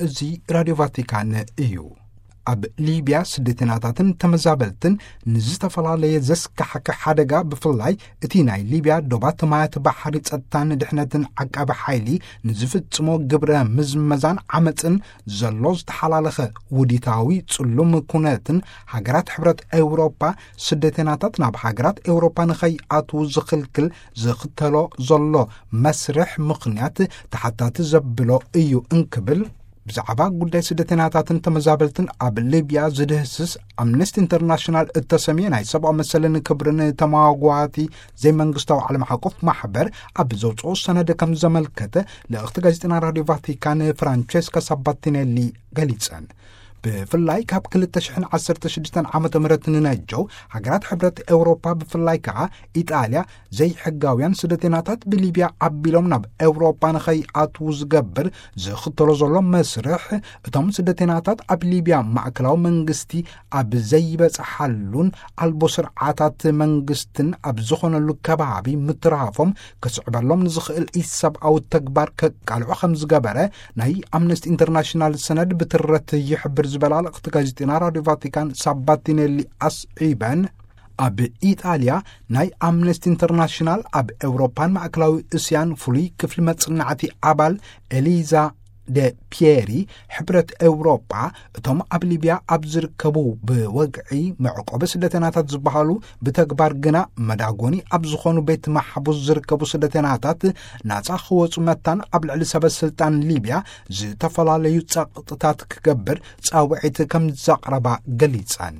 እዚ ራድዮ ቫቲካን እዩ። ኣብ ሊብያ ስደተኛታትን ተመዛበልትን ንዝተፈላለየ ዘስካሕክሕ ሓደጋ፣ ብፍላይ እቲ ናይ ሊብያ ዶባት ማያት ባሕሪ ጸጥታን ድሕነትን ዓቃቢ ሓይሊ ንዝፍጽሞ ግብረ ምዝመዛን ዓመጽን ዘሎ ዝተሓላለኸ ውዲታዊ ጽሉም ኩነትን፣ ሃገራት ሕብረት ኤውሮጳ ስደተኛታት ናብ ሃገራት ኤውሮጳ ንኸይኣትዉ ዝኽልክል ዝኽተሎ ዘሎ መስርሕ ምኽንያት ተሓታቲ ዘብሎ እዩ እንክብል፣ ብዛዕባ ጉዳይ ስደተኛታትን ተመዛበልትን ኣብ ሊብያ ዝድህስስ ኣምነስቲ ኢንተርናሽናል እተሰምየ ናይ ሰብኣዊ መሰልን ክብርን ተመዋጓቲ ዘይመንግስታዊ ዓለም ሓቆፍ ማሕበር ኣብ ዘውፅኦ ሰነድ ከም ዘመልከተ፣ ልእኽቲ ጋዜጠና ራድዮ ቫቲካን ፍራንቸስካ ሳባቲኔሊ ገሊጸን። ብፍላይ ካብ ክልተ ሽሕን ዓሰርተ ሽዱሽተን ዓመተ ምህረት ንነጀው፣ ሃገራት ሕብረት ኤውሮፓ፣ ብፍላይ ከኣ ኢጣልያ፣ ዘይሕጋውያን ስደተኛታት ብሊብያ ኣቢሎም ናብ ኤውሮፓ ንኸይኣትዉ ዝገብር ዝኽተሎ ዘሎ መስርሕ፣ እቶም ስደተኛታት ኣብ ሊብያ ማእከላዊ መንግስቲ ኣብ ዘይበጽሓሉን ኣልቦ ስርዓታት መንግስትን ኣብ ዝኾነሉ ከባቢ ምትራፎም፣ ክስዕበሎም ንዝኽእል ኢሰብኣዊ ተግባር ከቃልዖ ከም ዝገበረ ናይ ኣምነስቲ ኢንተርናሽናል ሰነድ ብትረት ይሕብር ዝበላ ልእኽቲ ጋዜጠና ራድዮ ቫቲካን ሳባቲኔሊ ኣስዒበን፣ ኣብ ኢጣልያ ናይ ኣምነስቲ ኢንተርናሽናል ኣብ ኤውሮፓን ማእከላዊ እስያን ፍሉይ ክፍሊ መጽናዕቲ ኣባል ኤሊዛ ደ ፒየሪ፣ ሕብረት ኤውሮጳ እቶም ኣብ ሊብያ ኣብ ዝርከቡ ብወግዒ መዕቆቢ ስደተናታት ዝበሃሉ፣ ብተግባር ግና መዳጎኒ ኣብ ዝኾኑ ቤት ማሕቡስ ዝርከቡ ስደተናታት ናጻ ክወጹ መታን ኣብ ልዕሊ ሰበ ስልጣን ሊብያ ዝተፈላለዩ ጸቕጥታት ክገብር ጻውዒት ከም ዘቕረባ ገሊጸን።